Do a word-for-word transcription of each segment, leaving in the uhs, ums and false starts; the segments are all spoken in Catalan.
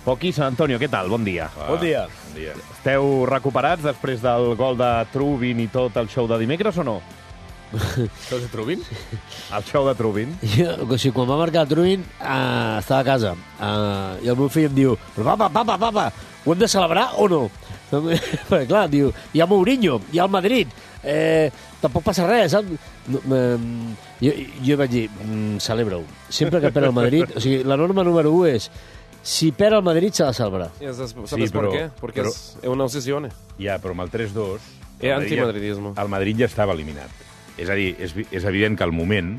Poqui, Sant Antonio, què tal? Bon dia. Ah, bon dia. Bon dia. Esteu recuperats després del gol de Trubin i tot el show de dimecres o no? Això és Trubin? El show de Trubin? Jo, o sigui, quan va marcar Trubin, uh, estava a casa. Uh, I el meu fill em diu, però papa, papa, papa, ho hem de celebrar o no? Perquè, clar, diu, hi ha Mourinho, hi ha el Madrid, eh, tampoc passa res, saps? No, um, jo, jo vaig dir, mm, celebra-ho. Sempre que perd el Madrid, o sigui, la norma número u és, si perd el Madrid s'ha de celebrar. ¿Sabes Sí, por però- qué? Porque però- es una obsesión. Ja, però amb el tres dos... És antimadridisme. El Madrid ja estava eliminat. És a dir, és, vi- és evident que al moment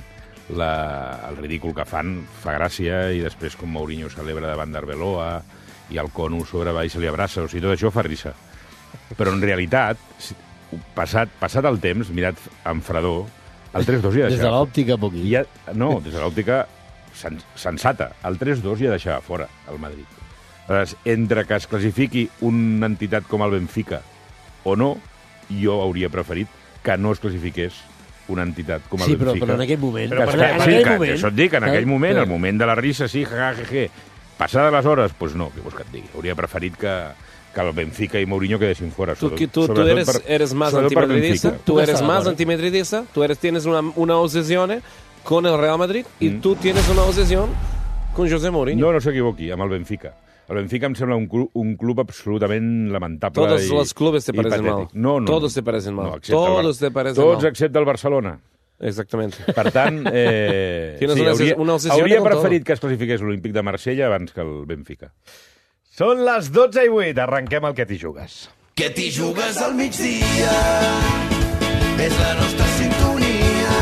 la, el ridícul que fan fa gràcia i després com Mourinho celebra davant d'Arbeloa i el Cono sobre va i se li abraça, o sigui, tot això fa risa. Però en realitat, si- passat, passat el temps, mirat amb fredor, el tres dos ja Des de deixava... l'òptica, Poqui. Ja, no, des de l'òptica sen, sensata. El tres dos ja deixava fora el Madrid. Aleshores, entre que es classifiqui una entitat com el Benfica o no, jo hauria preferit que no es classifiqués una entitat com el Sí, però, Benfica. però en aquell moment... Però en, perquè, en sí, aquell que, moment... això et dic, en aquell moment, Però- el moment de la risa, sí, ja, ja, ja, passades les hores, doncs pues no, què vols que et digui? Hauria preferit que, que el Benfica i Mourinho quedessin fora. Tú, sobre- que- tú, tú sobretot eres, per- eres más sobretot per antimadridista, Benfica. tú Tú eres estás de más acuerdo. antimadridista, tú eres, tienes una, una obsesión con el Real Madrid y Mm. tú tienes una obsesión con José Mourinho. No, no s'equivoqui, amb el Benfica. El Benfica em sembla un club, un club absolutament lamentable. Todos i, los clubes te i parecen patètic. mal. No, no, Todos no. te parecen mal. No, excepte el Bar- Todos te parecen Tots mal. excepte el Barcelona. Exactamente. Per tant, eh, Tienes sí, una- hauria, una obsessió hauria con preferit todo. que es classifiqués l'Olímpic de Marsella abans que el Benfica. Són les dotze i vuit, arrenquem el que t'hi jugues. Que t'hi jugues al migdia, és la nostra sintonia.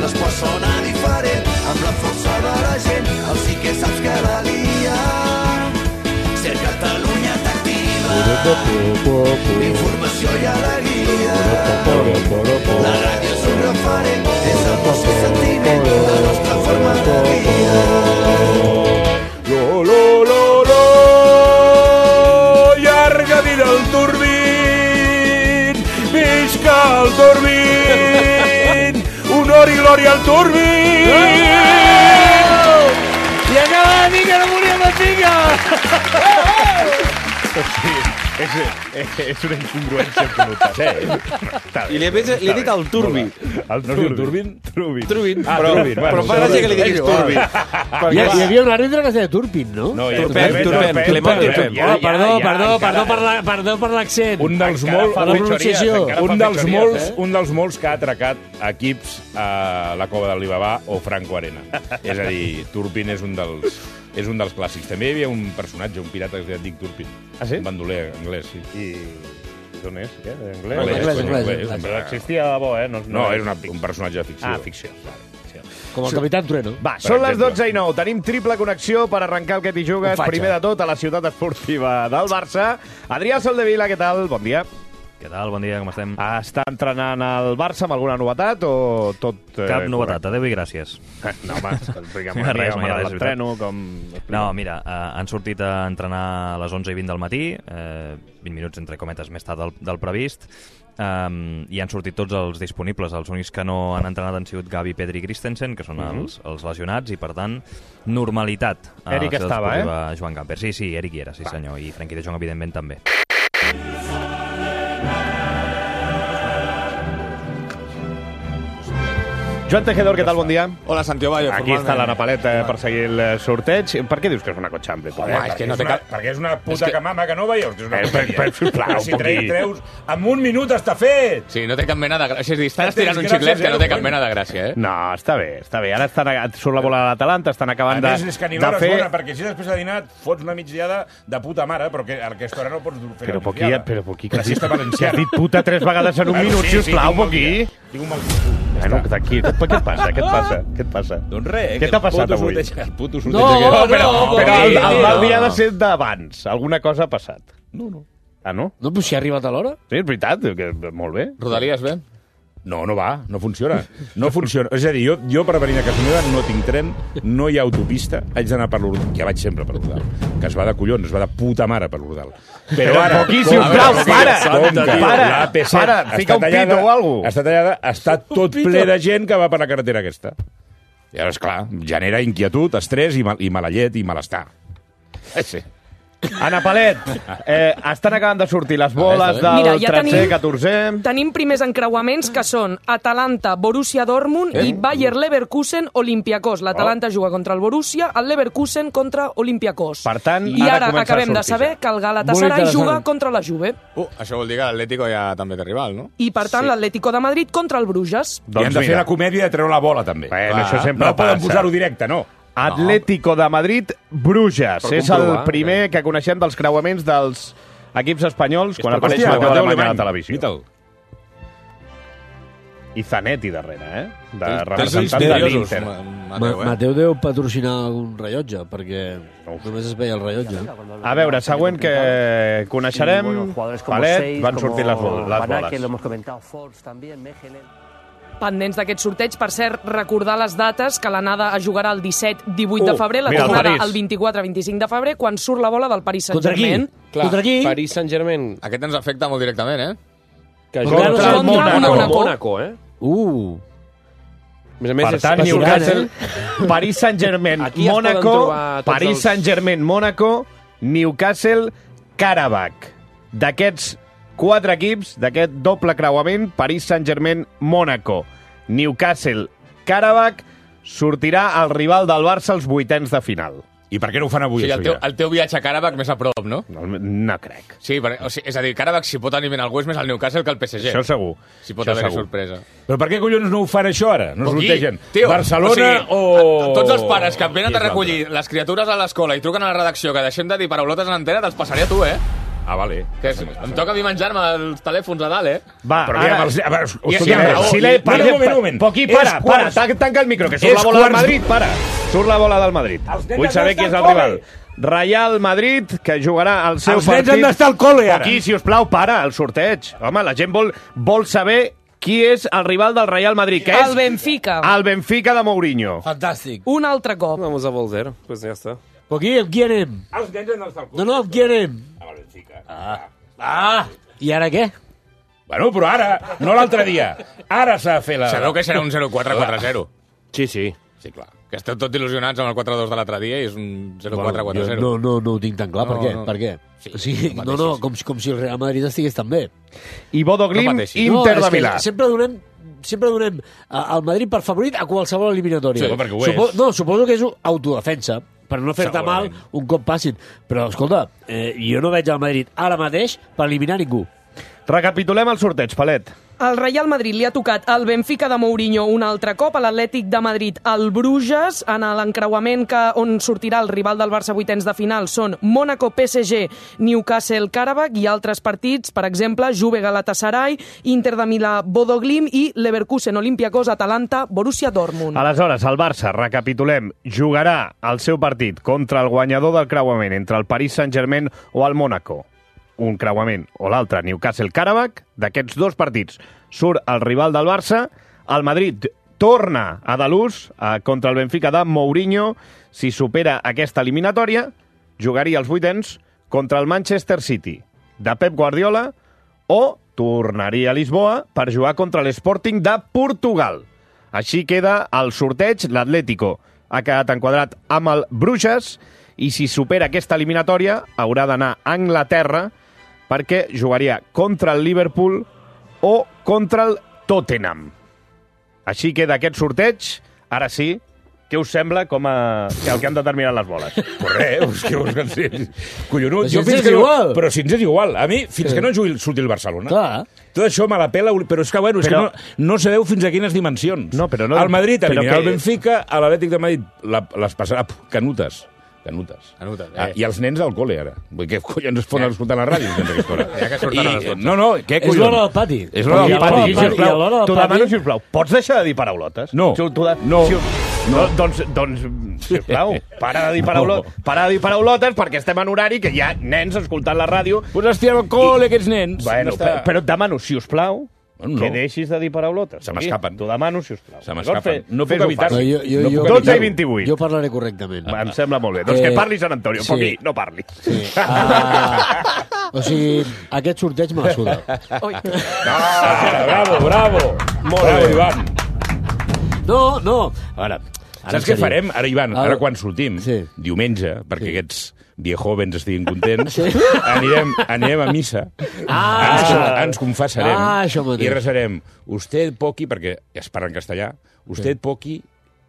L'esport sona diferent, amb la força de la gent, el sí que saps que la lia. Ser Catalunya t'activa, informació i alegria. La ràdio és un referent, és emoció i sentiment, la nostra forma de vida. Lo, lo, lo, lo, llarga vida al Turbin, visca el Turbin, honor i glòria al Turbin. I acaba de dir que no volia Benfica! És, és, és una incongruència absoluta. Sí. I li he, li he dit al Turbi. El No es diu Turbin? Trubin. Trubin. Ah, però, Turbin, bueno, però fa sí, gràcia que li diguis igual. Turbi. Hi, ha, hi havia un àrbitre que es deia Turpin, no? No, ja- Turpin, Turpin, Turpin, Turpin, Clement Turpin. Turpin. Ja, Oh, perdó, ja, ja, perdó, encara- perdó per la- perdó per l'accent. Un dels, Encara molt, fa la fechories, pronunciació. encara fa un, dels fechories, molts, eh? un dels molts que ha atracat equips a la Cova del Libabà o Franco Arena. És a dir, Turpin és un dels, és un dels clàssics. També hi havia un personatge, un pirata que es deia Dick Turpin. Ah, sí? Un bandoler anglès, sí. I d'on és? Què? Anglès? Anglès, anglès, anglès, anglès. anglès. Però existia de bo, eh? No, No, és una, un personatge de ficció. Ah, ficció. Vale, ficció. Com el Capitán Trueno. Va, Per són les exemple. dotze i nou. Tenim triple connexió per arrencar el que t'hi jugues. Un fatxa. Primer de tot, a la ciutat esportiva del Barça. Adrià Soldevila, què tal? Bon dia. Què tal? Bon dia, com estem? Està entrenant el Barça amb alguna novetat o tot... Eh, Cap novetat, adeu i gràcies. correcte? No, home, explica'm Res, una no hi mica ha com res, ara és l'entreno, com... No, mira, eh, han sortit a entrenar a les onze i vint del matí, eh, vint minuts entre cometes més tard del, del previst, um, i han sortit tots els disponibles. Els únics que no han entrenat han sigut Gavi, Pedri i Christensen, que són Mhm. els, els lesionats, i per tant, normalitat. a la Eric ciutat estava, esportiva Joan Gamper. Sí, sí, Eric hi era, sí senyor, i Frenkie de Jong, evidentment, també. Joan Tejedor, què tal? Bon dia. Hola, Santiago Bayo. Aquí està la Napaleta eh, per seguir el eh, sorteig. Per què dius que és una cotxample? tu? Home, és que no té una, cap... perquè és una puta És que... que- camama que no veieu que és una Eh, per- per- sisplau, Però si un tre, poquit. treus... En un minut està fet! Sí, no té cap mena de gràcia. És a dir, estan Tens estirant un gràcia xiclet que no té zero, cap mena de gràcia, eh? No, està bé, està bé. Ara estan, surt la bola de l'Atalanta, estan A acabant de, més, és que ni de l'hora fer... és bona, perquè si després de dinar et fots una migdiada de puta mare, però que a aquesta hora no pots fer Però la Poquí, migdiada. però Poquí, La siesta que has valenciana. dit puta tres vegades en un Bueno, minut, sí, si us sí, plau, tinc un mal Poquí. dia. Tinc un mal dia. Bueno, aquí, què et passa? Què et passa? Què et passa? Doncs res, Què t'ha passat puto avui? sorteig- El puto No, sorteig no, aquest. però, no, però el, el no, mal no. dia ha de ser d'abans. Alguna cosa ha passat. No, no. Ah, no? No, però si ha arribat a l'hora. Sí, és veritat. Que, molt bé. Rodalies bé? No, no va, no funciona. No funciona. És a dir, jo, jo per venir a casa meva no tinc tren, no hi ha autopista, haig d'anar per l'Urdal, que ja vaig sempre per l'Urdal, que es va de collons, es va de puta mare per l'Urdal. Però ara... Poquí, com sisplau, que- para! com que Para! l'A P set Para! està Fica un tallada- pito o alguna cosa. Està tallada, està tot ple de gent que va per la carretera aquesta. I ara, esclar, genera inquietud, estrès i, mal, i mala llet i malestar. Sí. Ana Palet, eh, estan acabant de sortir les boles del Mira, ja tretzè, tenim- catorzè... Tenim primers encreuaments que són Atalanta, Borussia Dortmund i Bayer Leverkusen, Olympiakos. L'Atalanta juga contra el Borussia, el Leverkusen contra Olympiakos. Per tant, I ara ara comença a acabem de sortir saber ja. que el Molt Galatasaray interessant. juga contra la Juve. Uh, això vol dir que l'Atlético ja també té rival, no? I, per tant, l'Atlético de Madrid contra el Bruges. I han de fer la comèdia de treure la bola, també. Bueno, això sempre no poden passa. posar-ho directe, no. Atlético de Madrid, Bruges. Per És el comprovar, primer que coneixem dels creuaments dels equips espanyols quan per apareix hòstia, Mateu Mateu Alemany a la Alemany. televisió. Mita'l. I Zanetti darrere, eh? De Tens representant de misteriosos, l'Inter. Ma- Ma Mateu, eh? Mateu deu patrocinar algun rellotge, perquè només es veia el rellotge. A veure, següent que coneixerem, Palet, van sortir les, bol les boles. Pendents d'aquest sorteig, per cert, recordar les dates, que l'anada es jugarà el disset divuit de Uh, febrer, la mira, el tornada París. el vint-i-quatre vint-i-cinc de febrer, quan surt la bola del Paris Contra qui? Saint-Germain. Clar, Contra qui? Paris Saint-Germain, Aquest ens afecta molt directament, eh? que Contra juga el contra Mónaco. Mónaco. Mónaco, eh? Uh, A més a més, Per és- tant, passaran, Newcastle, Paris Saint-Germain, Aquí es poden Mónaco, trobar tots Paris els- Saint-Germain, Mónaco, Newcastle, Karabakh. D'aquests quatre equips, d'aquest doble creuament, Paris Saint-Germain, Mónaco, Newcastle, Karabakh, sortirà el rival del Barça als vuitens de final. I per què no ho fan O avui, sigui, el això teu, ja? el teu viatge a Karabakh més a prop, no? No, no crec. Sí, per, o sigui, és a dir, Karabakh si pot eliminar algú és més el Newcastle que el P S G. Això segur. Si pot Això haver-hi segur. sorpresa. Però per què collons no ho fan això ara? No O qui? sortegen. Tio, Barcelona o... o... Tots els pares que venen Qui a és recollir les criatures a l'escola i truquen a la redacció que deixem de dir paraulotes en antena, te'ls passaré a tu, eh? Ah, vale. Que és, em toca a mi menjar-me els telèfons a dalt, eh? Va, Però mira, els... a veure, I- escolta, i- si i- l'he- no, per no, exemple, un moment, un moment. Poquí, És para, para, quarts- tan- tanca el micro, que surt És la bola del quarts- Madrid, para. Surt la bola del Madrid. Els nens Vull han saber qui d'estar és el al col·le. rival. Real Madrid, que jugarà el seu Els nens partit... han d'estar al col·le, ara. Aquí, si us plau, para, el sorteig. Home, la gent vol, vol saber qui és el rival del Real Madrid, que és... El Benfica. El Benfica de Mourinho. fantàstic. Un altre cop. Vamos a volver, pues ja està. Però aquí, amb qui anem? Els nens han d'estar al No, no, amb qui anem? A Benfica. Ah, i ara què? Bueno, però ara, no l'altre dia. Ara s'ha de fer la... Sabeu que serà un zero quatre quatre zero. Sí, sí. Sí, clar. Que esteu tots il·lusionats amb el quatre dos de l'altre dia i és un zero quatre quatre zero. No, no, no ho tinc tan clar. No, per què? no. Per què? Sí, o sigui, no no, no, pateixis. com, si- com si el Real Madrid estigués tan bé. I Bodo Glimt, No pateixis. Inter no, de Milà. és que sempre donem sempre donem eh, el Madrid per favorit a qualsevol eliminatòria. Sí, perquè ho Supo és. No, suposo que és autodefensa, per no fer-te mal Segurament. un cop passin. Però, escolta, eh, jo no veig el Madrid ara mateix per eliminar ningú. Recapitulem el sorteig, Palet. Al Real Madrid li ha tocat el Benfica de Mourinho un altre cop, a l'Atlètic de Madrid el Bruges, en l'encreuament que on sortirà el rival del Barça vuitens de final són Mónaco, P S G, Newcastle, Karabakh i altres partits, per exemple, Juve, Galatasaray, Inter de Milà, Bodo Glimt i Leverkusen, Olympiakos, Atalanta, Borussia Dortmund. Aleshores, el Barça, recapitulem, jugarà el seu partit contra el guanyador del creuament entre el Paris Saint-Germain o el Mónaco. Un creuament o l'altre, Newcastle-Karabakh. D'aquests dos partits surt el rival del Barça. El Madrid torna a Dalús eh, contra el Benfica de Mourinho. Si supera aquesta eliminatòria, jugaria els vuitens contra el Manchester City de Pep Guardiola o tornaria a Lisboa per jugar contra l'Sporting de Portugal. Així queda el sorteig. L'Atlético ha quedat enquadrat amb el Bruges i si supera aquesta eliminatòria haurà d'anar a Anglaterra perquè jugaria contra el Liverpool o contra el Tottenham. Així queda aquest sorteig. Ara sí, què us sembla com a... que el que han determinat les boles? Pues res, és que us cansés. Collonut. Però si Jo ens fins és que no, igual. però si ens és igual. A mi, fins que no jugui, surti el Barcelona. Clar. Tot això me la pela, però és que, bueno, és Però- que no, no sabeu fins a quines dimensions. No, però no- El Madrid però eliminarà que- el Benfica, a l'Atlètic de Madrid la, les passarà pf, canutes. Canutes. Canutes, Ah, eh. I els nens al col·le, ara. Vull dir, què collons es poden Ja. escoltar a la ràdio sense aquesta hora? Ja que surten a les I, dotze. no, no, què És collons? l'hora del pati. És l'hora I del a pati. l'hora del I pati, a l'hora del T'ho pati- demano, sisplau. Pots deixar de dir paraulotes? No. Si t'ho de- No. Si, no. Doncs, doncs, sisplau, para de dir paraulotes, para de dir paraulotes perquè estem en horari que hi ha nens escoltant la ràdio. Pues hòstia, al col·le, aquests nens. Bueno, No està- però, però et demano, si us plau, Bueno, que no. deixis de dir paraulotes. Se m'escapen. T'ho demano, si us plau. Se m'escapen. No puc fes-ho evitar-ho. fàcil. No, jo, jo, No jo, puc dotze i evitar-ho. vint-i-vuit. Jo parlaré correctament. Em sembla molt bé. Doncs Eh, que parli Sant Antonio. sí. Poqui, no parli. Sí. Ah, o sigui, aquest sorteig me la suda. Ui. Ah, bravo, bravo. Molt bravo, bé. Ivan. No, no. A veure, ara Saps en què sèrio. farem? Ara, Ivan, Ara- ara quan sortim, Sí. diumenge, perquè Sí. aquests viejovens estiguin contents, sí. anirem, anirem a missa, Ah, ens, això. ens confessarem Ah, això mateix. i resarem usted poqui, perquè es parla en castellà, usted poqui,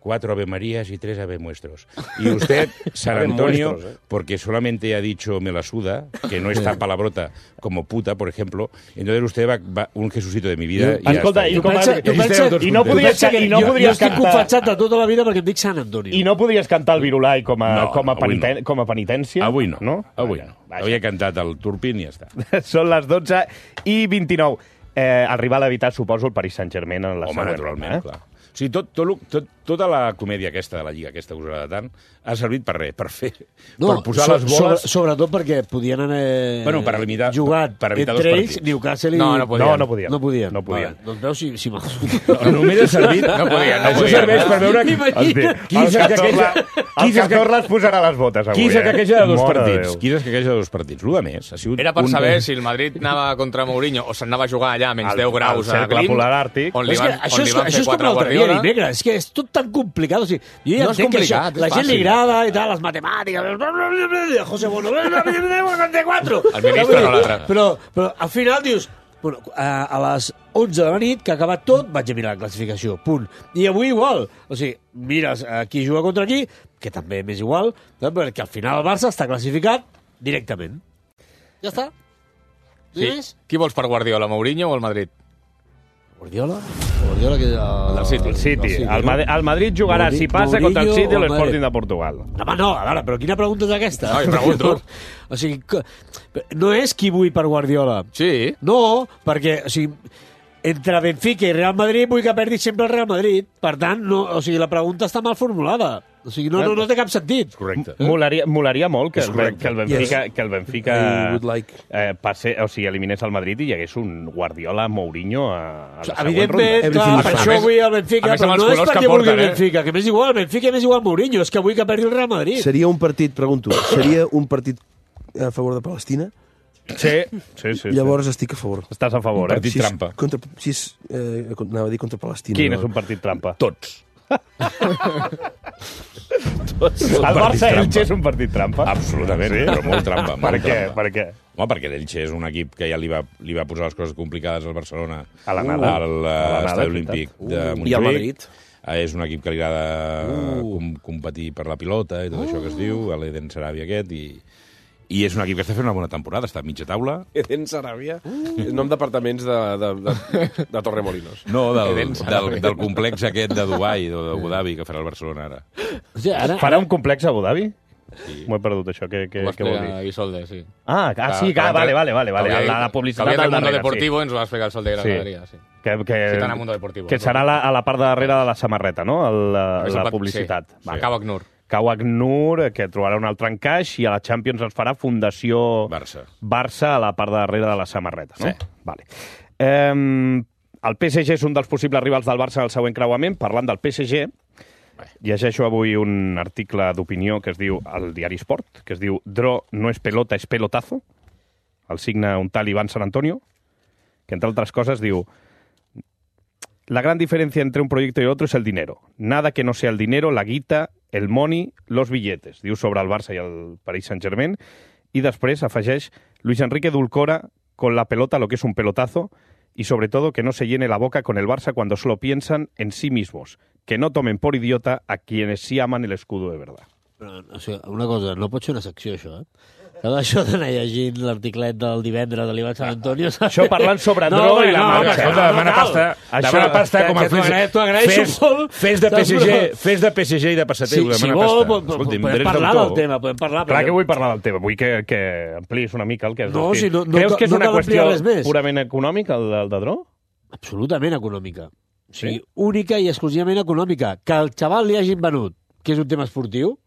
cuatro Ave Marías y tres Ave Muestros. Y usted, San Ave Antonio, muestros, ¿eh? porque solamente ha dicho me la suda, que no es tan palabrota como puta, por ejemplo, entonces usted va, va un Jesucito de mi vida y ya Escolta, està. i, com a, pensa- tu i, pensa- i no tu podies, pensa que i no jo, jo podies estic cantar... confessat de tota la vida perquè em dic Sant Antonio. I no podies cantar el Virulai com a, No, com a, no, avui peniten, no. com a penitència? Avui no, no? avui no. Avui he cantat el Turpin i ja està. Són les dotze i vint-i-nou. Eh, el rival a evitar, suposo, el Paris Saint-Germain en la Home, següent naturalment, ronda, eh? clar. O sigui, tot, tot, lo- tot, tota la comèdia aquesta de la Lliga, aquesta que us agrada tant, ha servit per res, per fer, No, per posar so, les boles... Sobre, sobretot perquè podien haver Bueno, per limitar- jugat per evitar dos entre ells, partits. Newcastle i... No, no podien. No, no podien. No podien. No podien. Vale, doncs veus si... si mal... No, només ha servit... No podien, no Això podien. serveix per veure qui, Imagina. qui El és el que Cazorla, queja... el Cazorla es posarà les botes avui, Qui és el que eh? queja de dos Mare partits? Déu. Qui és el que queja de dos partits? L'u de més ha sigut... Era per un- saber si el Madrid anava contra Mourinho o s'anava a jugar allà a menys Al- deu graus al a cercle Glim, polar àrtic. on li És que van, això on és, li van això fer és com quatre a l'altre dia, Guardiola. dimecres. És que és tot tan complicat. O sigui, jo ja No és entenc que complicat, això, és la gent li fàcil. agrada i tal, les matemàtiques, José Bono, quatre. El ministre no l'altre. Però, però al final dius, bueno, a, a les onze de la nit, que ha acabat tot, vaig a mirar la classificació, punt. I avui igual. O sigui, mires a qui juga contra qui, que també m'és igual, perquè al final el Barça està classificat directament. Ja està. No hi ha Sí. més? Qui vols per Guardiola, Mourinho o el Madrid? Guardiola? Guardiola que... El, del City. El City. El City, El, no? Mad el Madrid jugarà, Mouri- si passa, Mourinho contra el City o o el l'Sporting Madrid? de Portugal. Home, no, a veure, però quina pregunta és aquesta? No, jo pregunto. O sigui, que- no és qui vull per Guardiola. Sí. No, perquè, o sigui, entre Benfica i Real Madrid vull que perdi sempre el Real Madrid. Per tant, no, o sigui, la pregunta està mal formulada. O sigui, no, no, no té cap sentit. Correcte. Molaria, molaria molt que, És el, correcte. que el Benfica, Yes. que el Benfica I would like. eh, passe, o sigui, eliminés el Madrid i hi hagués un Guardiola Mourinho a, a la següent Evidentment, ronda. clar, Everything per is això fine. vull el Benfica, A més, però amb els no és colors perquè que vulgui el porten, eh? Benfica, que m'és igual el Benfica i m'és igual Mourinho, és que vull que perdi el Real Madrid. Seria un partit, pregunto, seria un partit a favor de Palestina? Sí, sí, sí. Llavors estic a favor. sí. Estàs a favor, Un eh? partit Si és trampa. Contra, si és, eh, anava a dir contra Palestina. Quin no? és un partit trampa? Tots. El Barça-Elche és un partit trampa? Absolutament, sí? Però molt trampa. Per molt què? trampa. Per què? Home, perquè l'Elche és un equip que ja li va, li va posar les coses complicades al Barcelona A la nada. al A la nada, Estadi és Olímpic veritat. de Uh, Montjuïc. i al Madrid. Eh, És un equip que li agrada com, competir per la pilota i tot això que es diu, l'Eden Sarabia aquest, i, i és un equip que està fent una bona temporada, està a mitja taula. Eden Sarabia, uh. nom d'apartaments de, de, de, de Torremolinos. No, del, Eden Sarabia. del, del complex aquest de Dubai o d'Abu Dhabi que farà el Barcelona ara. O sigui, ara, Farà un complex a Abu Dhabi? Sí. M'ho he perdut, això. Què, què, Ho va què vol dir? explicar Isolde, sí. Ah, ah sí, que, vale, vale, vale. vale. Que La, la que publicitat havia del del Mundo darrere, Deportivo ens ho va explicar el Sol de Sí. Granaderia, sí. Que, que, Citant a Mundo Deportivo. que serà la, a la part de darrere de la samarreta, no? El, la, És el la pat- publicitat. Sí. Vale. Cau Agnur. Cau Agnur, que trobarà un altre encaix, i a la Champions ens farà Fundació Barça. Barça a la part de darrere de la samarreta, no? Sí. Vale. Eh, el P S G és un dels possibles rivals del Barça al següent creuament. Parlant del P S G, llegeixo avui un article d'opinió que es diu al diari Sport, que es diu Dro no és pelota, és pelotazo. El signa un tal Iván San Antonio, que entre altres coses diu: la gran diferencia entre un proyecto y otro es el dinero. Nada que no sea el dinero, la guita, el money, los billetes. Diu sobre el Barça i el Paris Saint-Germain. Y després afegeix Luis Enrique Dulcora con la pelota lo que es un pelotazo y sobre todo que no se llene la boca con el Barça cuando solo piensan en sí mismos. Que no tomen por idiota a quienes sí aman el escudo de verdad. Però, o sigui, una cosa, no pot ser una secció, això, eh? Cada això d'anar llegint l'articlet del divendres de l'Ivan Sant Antonio... Això parlant sobre No, Dro home, i la no, marxa. home, Escolta, no, demana no cal. pasta, Això- demana pasta que- com que a t'ho agra- t'ho agraeixo fes, molt. fes de P S G, fes de P S G i de Sí, passateu, si demana vol, pasta. po- po- Escolti'm, podem drets parlar d'autor. del tema, podem parlar. Clar perquè- que vull parlar del tema. Vull que, que ampliïs una mica el que és. No, si no- no Creus ca- que és no una cal ampliar qüestió res més. purament econòmica, el, el de Dro? Absolutament econòmica. O sigui, Sí? única i exclusivament econòmica. Que al xaval li hagin venut, que és un tema esportiu,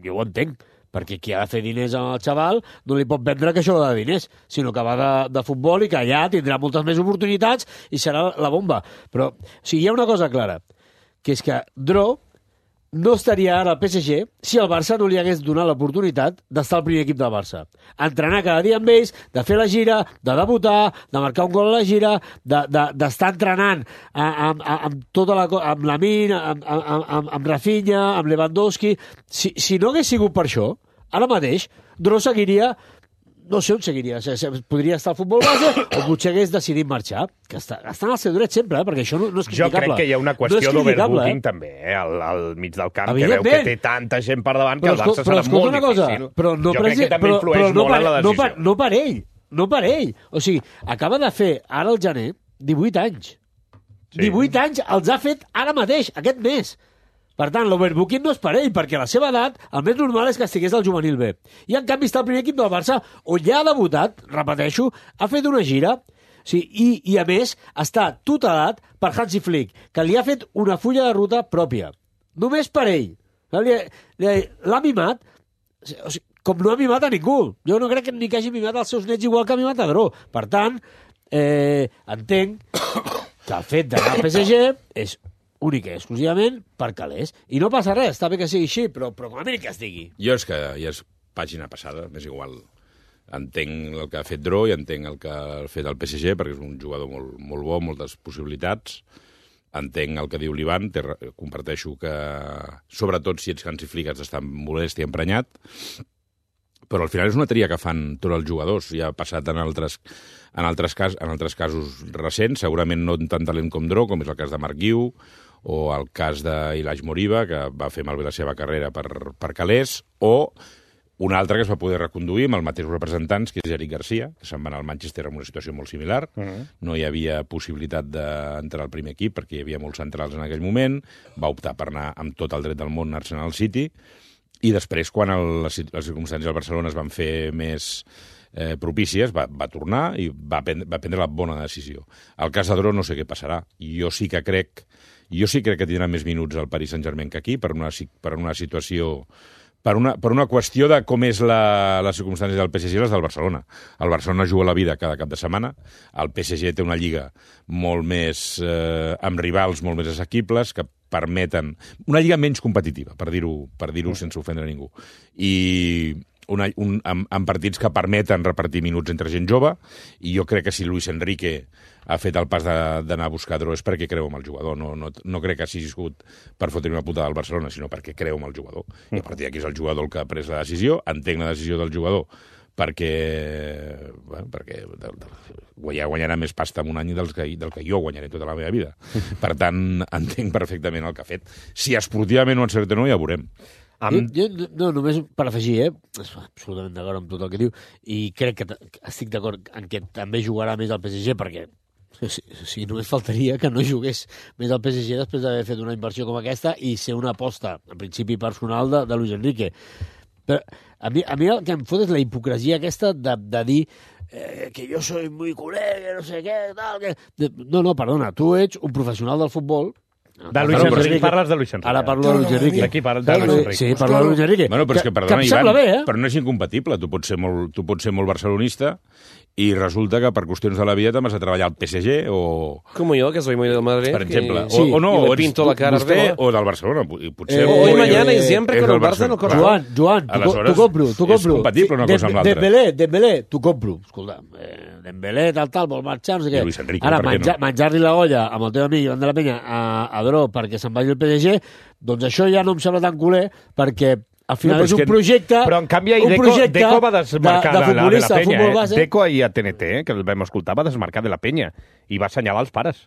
jo ho entenc, perquè qui ha de fer diners amb el xaval no li pot vendre que això va de diners, sinó que va de, de futbol i que allà tindrà moltes més oportunitats i serà la bomba. Però o sigui, hi ha una cosa clara, que és que Dro no estaria ara al P S G si el Barça no li hagués donat l'oportunitat d'estar al primer equip del Barça. Entrenar cada dia amb ells, de fer la gira, de debutar, de marcar un gol a la gira, d'estar de, de, entrenant amb, amb, amb tota la co- amb Lamine, amb, amb, amb, amb Rafinha, amb Lewandowski. Si, si no hagués sigut per això, ara mateix Dro seguiria... No sé on seguiria. Podria estar al futbol base o potser hagués decidit marxar. Que està, està en el seu dret sempre, eh? Perquè això no, no és criticable. Jo crec que hi ha una qüestió no d'overbooking, eh? també, eh? Al, al mig del camp, que veu que té tanta gent per davant que el Barça serà molt difícil. Però no jo crec que també però, influeix però no molt per, en la decisió. No per, no per ell, no per ell. O sigui, acaba de fer, ara al gener, divuit anys. Sí. divuit anys els ha fet ara mateix, aquest mes. Per tant, l'overbooking no és per ell, perquè a la seva edat el més normal és que estigués al juvenil B. I en canvi està el primer equip del Barça, on ja ha debutat, repeteixo, ha fet una gira, sí, i, i a més està tutelat per Hansi Flick, que li ha fet una fulla de ruta pròpia. Només per ell. L'ha mimat, o sigui, com no ha mimat a ningú. Jo no crec que ni que hagi mimat els seus nets igual que ha mimat a Dro. Per tant, eh, entenc que el fet d'anar al P S G és únic i exclusivament per calés. I no passa res, està bé que sigui així, però, però com a mínim que es digui. Jo és que ja és pàgina passada, m'és igual. Entenc el que ha fet Dro i entenc el que ha fet el P S G, perquè és un jugador molt, molt bo, moltes possibilitats. Entenc el que diu l'Ivan, comparteixo que, sobretot si ets Hansi Flick, has d'estar molest i emprenyat, però al final és una tria que fan tots els jugadors. Ja ha passat en altres, en altres, cas, en altres casos recents, segurament no tant talent com Dro, com és el cas de Marc Guiu, o el cas d'Ilaj Moriba, que va fer malbé la seva carrera per, per calés, o un altre que es va poder reconduir amb els mateixos representants, que és Eric Garcia, que se'n va anar al Manchester en una situació molt similar. Uh-huh. No hi havia possibilitat d'entrar al primer equip, perquè hi havia molts centrals en aquell moment. Va optar per anar amb tot el dret del món a Arsenal City. I després, quan el, les, les circumstàncies del Barcelona es van fer més eh, propícies, va, va tornar i va, prendre, va prendre la bona decisió. Al cas de Dro no sé què passarà. Jo sí que crec, jo sí crec que tindrà més minuts al Paris Saint-Germain que aquí, per una, per una situació... Per una, per una qüestió de com és la, les circumstàncies del P S G i les del Barcelona. El Barcelona juga la vida cada cap de setmana, el P S G té una lliga molt més, eh, amb rivals molt més assequibles, que permeten... Una lliga menys competitiva, per dir-ho per dir-ho sense ofendre a ningú. I una, un, amb, amb partits que permeten repartir minuts entre gent jove, i jo crec que si Luis Enrique ha fet el pas d'anar a buscar Dro és perquè creu en el jugador. No, no, no crec que hagi sigut per fotre una putada al Barcelona, sinó perquè creu en el jugador. I a partir d'aquí és el jugador el que ha pres la decisió, entenc la decisió del jugador perquè, bueno, perquè ja guanyarà més pasta en un any del que, del que jo guanyaré tota la meva vida. Per tant, entenc perfectament el que ha fet. Si esportivament ho encerta o no, ja ho veurem. Amb... Jo, jo, no, només per afegir, eh? Absolutament d'acord amb tot el que diu, i crec que estic d'acord en que també jugarà més al P S G, perquè si, si només faltaria que no jugués més al P S G després d'haver fet una inversió com aquesta i ser una aposta, en principi personal, de, de Luis Enrique. Però a mi, a mi el que em fot és la hipocresia aquesta de, de dir eh, que jo soy muy culé, que no sé què, tal... Que... No, no, perdona, tu ets un professional del futbol. De Luis Enrique. Enrique. Parles de Luis Enrique. Ara parlo de Luis Enrique. Aquí parles de Luis Enrique. Sí, parlo de Luis Enrique. Bueno, però és que, perdona, que Ivan, bé, eh? però no és incompatible. Tu pots ser molt, tu pots ser molt barcelonista i resulta que per qüestions de la vida t'has de treballar al P S G o... Com jo, que soy muy del Madrid. Per exemple. Y... O, o no, o ets pinto la cara vostè Arbeloa. o del Barcelona. I potser, eh, hoy, o, mañana eh, y siempre con el Barça no corre. Joan, Joan, tu compro, tu compro. És compatible una cosa amb l'altra. Dembélé, Dembélé, tu compro. Escolta, eh, Dembélé, tal, tal, vol marxar, no sé què. Luis Enrique, ara, per què menjar, no? menjar-li la olla amb el teu amic Ivan de la Penya a, a Dro perquè se'n vagi al P S G, doncs això ja no em sembla tan culer, perquè al final no, és un projecte... Però en canvi ahir Deco, Deco va desmarcar de, de, de, de la penya. Eh? Base. Deco ahir a T N T, eh? Que el vam escoltar, va desmarcar de la penya i va assenyalar els pares.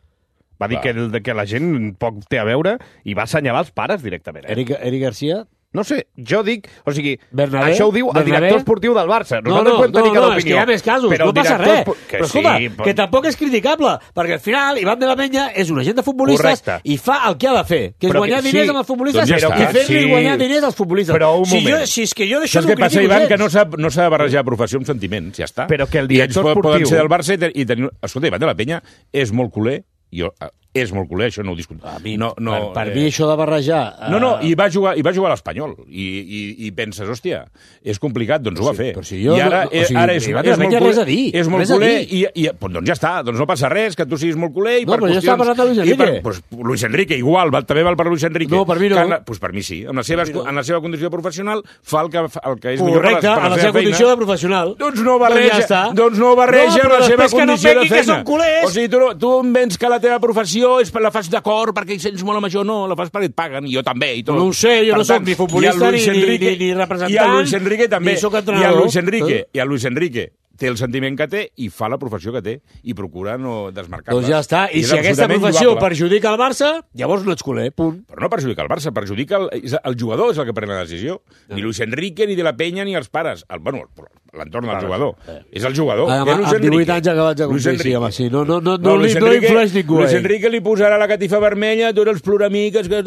Va dir que, el, que la gent poc té a veure i va assenyalar els pares directament. Eh? Eric, Eric Garcia... No sé, jo dic... O sigui, Bernabé, això ho diu el Bernabé. director esportiu del Barça. No, no, podem tenir no, cada no, és opinió. que hi ha més casos, però no passa res. Que però escolta, sí, que tampoc és criticable, perquè al final Ivan de la Penya és un agent de futbolistes Correcte. i fa el que ha de fer, que és però guanyar que, diners sí, amb els futbolistes doncs ja i està, fer-li sí. guanyar diners als futbolistes. Però un si, moment. jo, si és que jo d'això Saps no què passa, critico Ivan? gens. Que no s'ha no s'ha de barrejar professió amb sentiments, ja està. Però que el I director ells poden esportiu... ser del Barça i, te- i tenir... Escolta, Ivan de la Penya és molt culer, jo, és molt culer, això no ho discutim. A mi, no, no, per, per eh... mi això de barrejar... No, no, i va jugar, i va jugar a l'Espanyol. I, i, I penses, hòstia, és complicat, doncs ho va fer. Però si jo I ara, no, o sigui, ara és, Ivan és, de la molt Penya culer, res a dir, és molt res a culer dir. i, i doncs, doncs ja està, doncs no passa res, que tu siguis molt culer i No, per però jo qüestions... estava parlant de Luis Enrique. i Per, pues, Luis Enrique, igual, va, també val per Luis Enrique. No, per mi no. Que, pues per mi sí. En la, seva, no. en la seva condició professional fa el que, el que és millor per, Correcte, per la, a la seva seva condició feina. de professional. Doncs no barreja, Doncs ja està. doncs no barreja No, però la seva després que no condició de vengui que feina. són culers. O sigui, tu, tu em vens que la teva professió l'afició és per la fas d'acord perquè hi sents molt a major, no, la fas perquè et paguen, i jo també, i tot. No ho sé, jo Per no soc tant, ni futbolista i el Luis ni- ni- Enrique- ni- ni representant, I el Luis Enrique també. ni soc I entrenador. el Luis Enrique, Eh? i el Luis Enrique té el sentiment que té i fa la professió que té i procura no desmarcar-la. Doncs ja està. I és si aquesta absolutament professió lloable. perjudica el Barça, llavors no ets culer, punt. Però no perjudica el Barça, perjudica el, és el jugador, és el que pren la decisió. Ni Luis Enrique, ni de la Penya, ni els pares. El, bueno, l'entorn del jugador. És el jugador. Ah, és amb- Luis amb divuit Enrique. anys acabats de Luis complir, sí, Enrique. home, sí. No, no, no, no, Luis li, no Enrique- influeix ningú. Luis eh? Enrique li posarà la catifa vermella, tots els ploramiques... Que...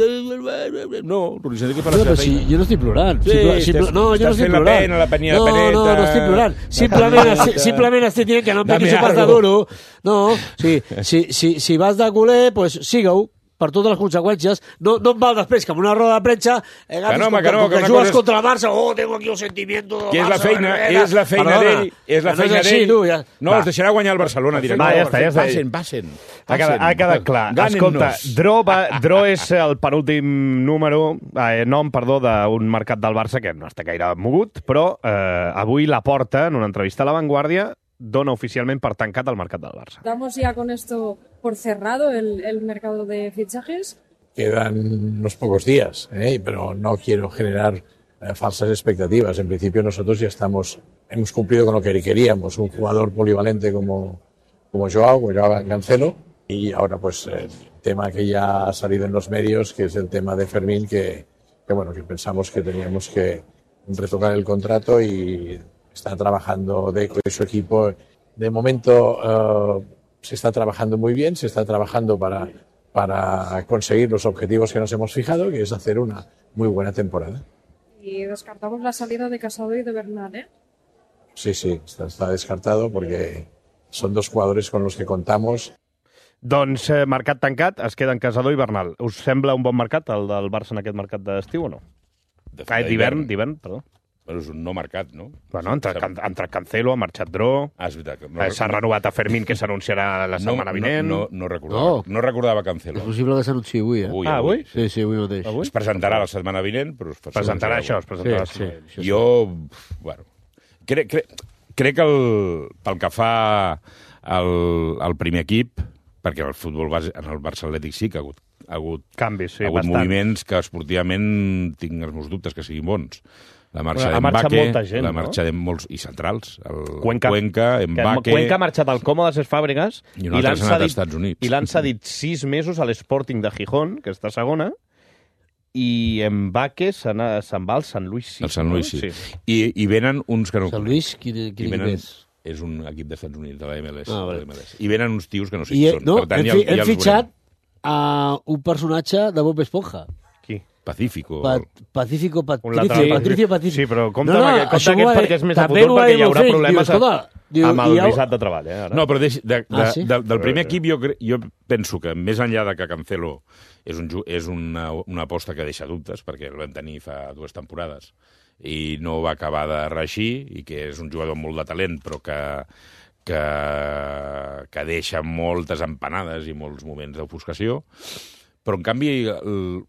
No, Luis Enrique fa la No, seva però si feina. jo no estic plorant. Sí, Simpla- estàs- simpla- no, jo no estàs estic fent la plorant. pena, la penya- no, peneta, no, no estic plorant. la Simplement, caminata. estic, simplement estic dient que no em Dame piquis un pas de algo. duro. No, sí, si, si, si vas de culer, pues sigue-ho per totes les conseqüències. No, no em val després que amb una roda de premsa eh, agafis Que no, home, com que no, com que que una jugues cosa és- contra el Barça, oh, tengo aquí un sentimiento del Que és la Barça, feina, darrere. és la feina Perdona, d'ell, és la que no feina així, d'ell. tu, ja. No, Va. es deixarà guanyar el Barcelona directament. Va, ja està, ja està. Passen, passen. Ha quedat, ha quedat clar. Gànenos. Escolta, Dro, va, Dro és el penúltim número, eh, nom, perdó, d'un mercat del Barça que no està gaire mogut, però eh, avui la Porta, en una entrevista a La Vanguardia, dona oficialment per tancat el mercat del Barça. Damos ya con esto por cerrado el, el mercado de fichajes. Quedan unos pocos días, ¿eh? Pero no quiero generar eh, falsas expectativas. En principio nosotros ya estamos, hemos cumplido con lo que queríamos, un jugador polivalente como, como Joao, como Joao Cancelo, y ahora pues el tema que ya ha salido en los medios, que es el tema de Fermín, que, que bueno, que pensamos que teníamos que retocar el contrato y está trabajando Deco y su equipo. De momento eh, se está trabajando muy bien, se está trabajando para, para conseguir los objetivos que nos hemos fijado, que es hacer una muy buena temporada. Y descartamos la salida de Casado y de Bernal, ¿eh? Sí, sí, está, está descartado porque son dos jugadores con los que contamos. Doncs eh, mercat tancat, es queden Casador i Bernal. Us sembla un bon mercat, el del Barça en aquest mercat d'estiu o no? De- Ah, d'hivern. d'hivern, d'hivern, perdó. Però és un no marcat, no? Bueno, entre, can- entre Cancelo, ha marxat Dro, Ah, és veritat. que eh, s'ha renovat a Fermín, que s'anunciarà la setmana vinent. No, no, no, recordava, No. no recordava Cancelo. És possible que s'anunciï avui, eh? Avui, Ah, avui? Sí, sí, avui mateix. Avui? Es presentarà la setmana vinent, però... Es Presentarà això, es presentarà. Sí, sí. Jo, bueno, crec, crec, crec que el, pel que fa al, al primer equip, perquè el futbol base, en el Barça Atlètic sí que ha hagut, ha hagut, Canvis, sí, ha hagut bastant. moviments que esportivament tinc els meus dubtes que siguin bons. La marxa Ha marxat d'Embake, molta gent, la no? marxa de molts i centrals, el Cuenca, Cuenca, que Embake... Cuenca ha marxat al Còmodes Fàbregas I un altre l'han s'ha anat als cedit- Estats Units. i l'han cedit sis mesos a l'Sporting de Gijón, que està segona, i Mbaque se'n ha- se'n va al Sant Luis. Sí, El Sant Luis, sí. sí. I, I venen uns que no... Sant Luis, quin, I quin venen, equip és? és un equip dels Estats Units, de la M L S. Ah, de vale. la M L S. I venen uns tios que no sé I, qui eh, són. no, Per tant, hem, ja, fi, ja hem els fitxat veurem. a un personatge de Bob Esponja. Qui? Pacífico. Pa Pacífico Un Patricio, lateral. Patricio Patricio. Sí, però compte No, no, amb aquest, compte això aquest m'ho va perquè dir- és més a també futur, m'ho va perquè dir hi haurà meu fill. problemes Diu, escolta, diu, amb el i ja ho- visat de treball. Eh, ara. No, però deix, de, de, Ah, sí? de, del primer equip jo, cre- jo penso que més enllà de que Cancelo és, un, ju- és una, una aposta que deixa dubtes, perquè el vam tenir fa dues temporades i no va acabar de reeixir, i que és un jugador amb molt de talent, però que, que, que deixa moltes empanades i molts moments d'ofuscació. Però, en canvi, el,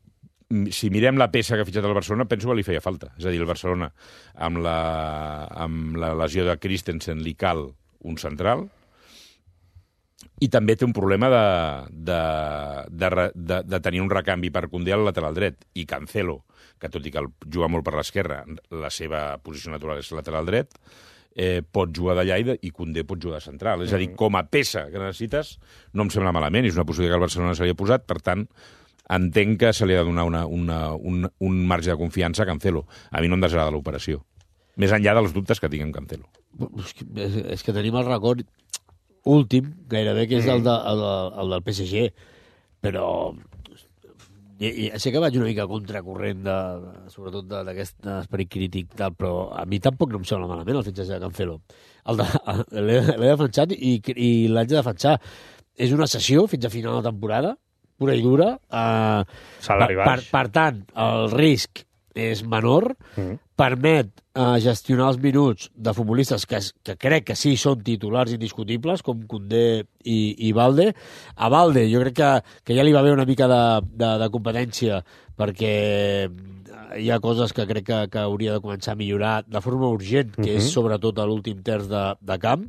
si mirem la peça que ha fitxat el Barcelona, penso que li feia falta. És a dir, el Barcelona, amb la, amb la lesió de Christensen, li cal un central, i també té un problema de, de, de, re- de, de tenir un recanvi per Koundé al lateral dret. I Cancelo, que tot i que el juga molt per l'esquerra, la seva posició natural és lateral dret, eh, pot jugar d'allà i, de, i Koundé pot jugar de central. És a dir, com a peça que necessites, no em sembla malament, és una possibilitat que el Barcelona se li ha posat, per tant, entenc que se li ha de donar una, una, un, un marge de confiança a Cancelo. A mi no em desagrada l'operació. Més enllà dels dubtes que tinc amb Cancelo. És que, és, és que tenim el record últim, gairebé, que és el, de, el, el del P S G. Però ja, ja sé que vaig una mica contracorrent, de, sobretot de- d'aquest esperit crític, tal, però a mi tampoc no em sembla malament el fitxatge de Cancelo. El de- L'he l'he defensat i, i l'haig de defensar. És una sessió fins a final de temporada, pura i dura. Eh, Salari per, baix. per, per tant, el risc és menor, Mm. permet eh, gestionar els minuts de futbolistes que, es- que crec que sí són titulars indiscutibles, com Koundé i, i Valde. A Valde jo crec que, que ja li va haver una mica de, de, de competència, perquè hi ha coses que crec que, que hauria de començar a millorar de forma urgent, que Mhm. és sobretot a l'últim terç de, de camp.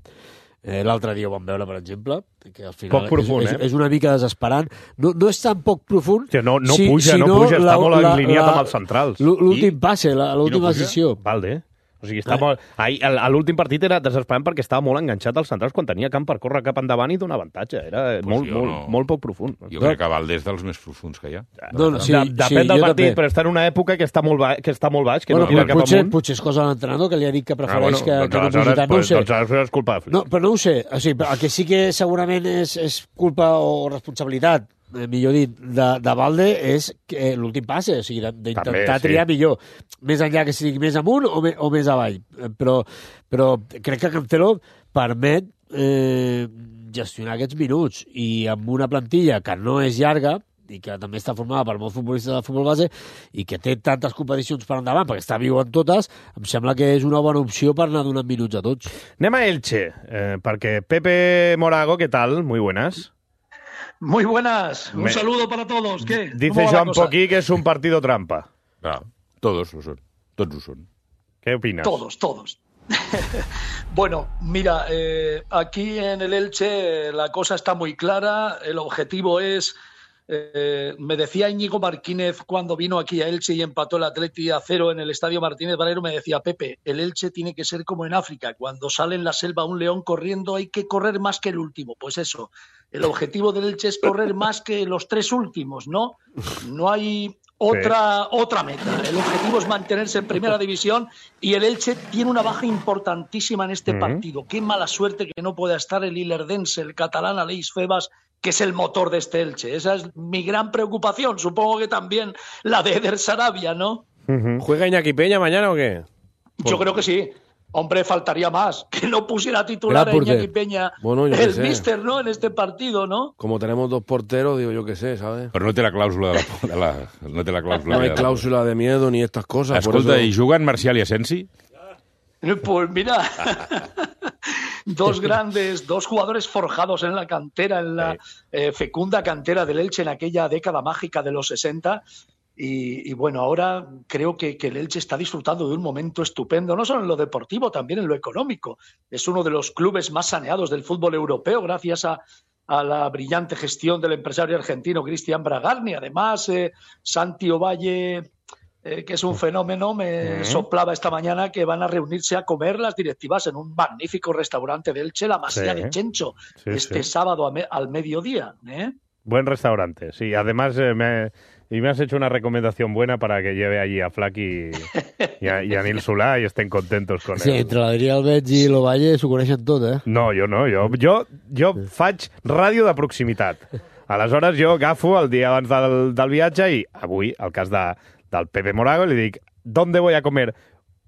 Eh, L'altre dia ho vam veure, per exemple, que al final poc profund, és, és, eh? és una mica desesperant. No, no és tan poc profund... Hòstia, no, no si, puja, si no puja, la, està molt la, alineat la, amb els centrals. L'últim passe, l'última no decisió. Valde. O sigui, està molt... Ahir, a l'últim partit era desesperant perquè estava molt enganxat als centrals quan tenia camp per córrer cap endavant i donar avantatge. Era Pues molt, molt, no. molt poc profund. Jo crec que Valde és dels més profunds que hi ha. No, no, sí, de, depèn sí, del jo partit, també. però està en una època que està molt, ba que està molt baix, que bueno, no tira cap potser, amunt. potser és cosa de l'entrenador, que li ha dit que prefereix Ah, bueno, que, doncs que no pugi aleshores, tant. No ho pues, sé. doncs aleshores és culpa de Flix. No, però no ho sé. O sigui, el que sí que segurament és, és culpa o responsabilitat, eh, millor dit, de, de Valde és que l'últim passe, o sigui, d'intentar També, sí. triar millor, més enllà que sigui més amunt o, me, o més avall. Eh, Però, però crec que Cancelo permet eh, gestionar aquests minuts i amb una plantilla que no és llarga i que també està formada per molts futbolistes de futbol base i que té tantes competicions per endavant perquè està viu en totes, em sembla que és una bona opció per anar donant minuts a tots. Anem a Elche, eh, perquè Pepe Morago, ¿qué tal? Muy buenas. Muy buenas, un Me... saludo para todos. ¿Qué? Dice Joan Poquí que es un partido trampa. Claro, todos lo son, todos lo son. ¿Qué opinas? Todos, todos. Bueno, mira, eh, aquí en el Elche la cosa está muy clara, el objetivo es, eh, me decía Íñigo Martínez cuando vino aquí a Elche y empató el Atleti a cero en el Estadio Martínez Valero, me decía, Pepe, el Elche tiene que ser como en África, cuando sale en la selva un león corriendo hay que correr más que el último, pues eso, el objetivo del Elche es correr más que los tres últimos, ¿no? No hay... Otra, sí. otra meta. El objetivo es mantenerse en primera división y el Elche tiene una baja importantísima en este uh-huh. partido. Qué mala suerte que no pueda estar el ilerdense, el catalán Aleix Febas, que es el motor de este Elche. Esa es mi gran preocupación. Supongo que también la de Eder Sarabia, ¿no? Uh-huh. ¿Juega Iñaki Peña mañana o qué? Yo creo que sí. Hombre, faltaría más. Que no pusiera titular a Iñaki Peña bueno, el míster, ¿no? En este partido, ¿no? Como tenemos dos porteros, digo yo que sé, ¿sabes? Però no té la clàusula de la... De la no té la clàusula no hay de cláusula de miedo ni estas cosas. Escolta, por eso... ¿y juguen Marcial y Asensi? Pues mira, dos grandes, dos jugadores forjados en la cantera, en la eh, fecunda cantera del Elche en aquella década mágica de los sesenta. Y, y bueno, ahora creo que, que el Elche está disfrutando de un momento estupendo, no solo en lo deportivo, también en lo económico. Es uno de los clubes más saneados del fútbol europeo gracias a, a la brillante gestión del empresario argentino Cristian Bragarni. Además, eh, Santi Ovalle, eh, que es un fenómeno, me uh-huh. soplaba esta mañana que van a reunirse a comer las directivas en un magnífico restaurante de Elche, la Masía sí. de Chencho, sí, este sí. sábado a me, al mediodía. ¿eh? Buen restaurante, sí. Además, eh, me... Y me has hecho una recomendación buena para que lleve allí a Flac y, y, a, y a Nil Solà y estén contentos con sí, él. Sí, entre l'Adrià Albeig i l'Ovalle s'ho coneixen tot, eh? No, jo no. Jo, jo, jo faig ràdio de proximitat. Aleshores, jo agafo el dia abans del, del viatge i avui, el cas de, del Pepe Morago, li dic ¿dónde voy a comer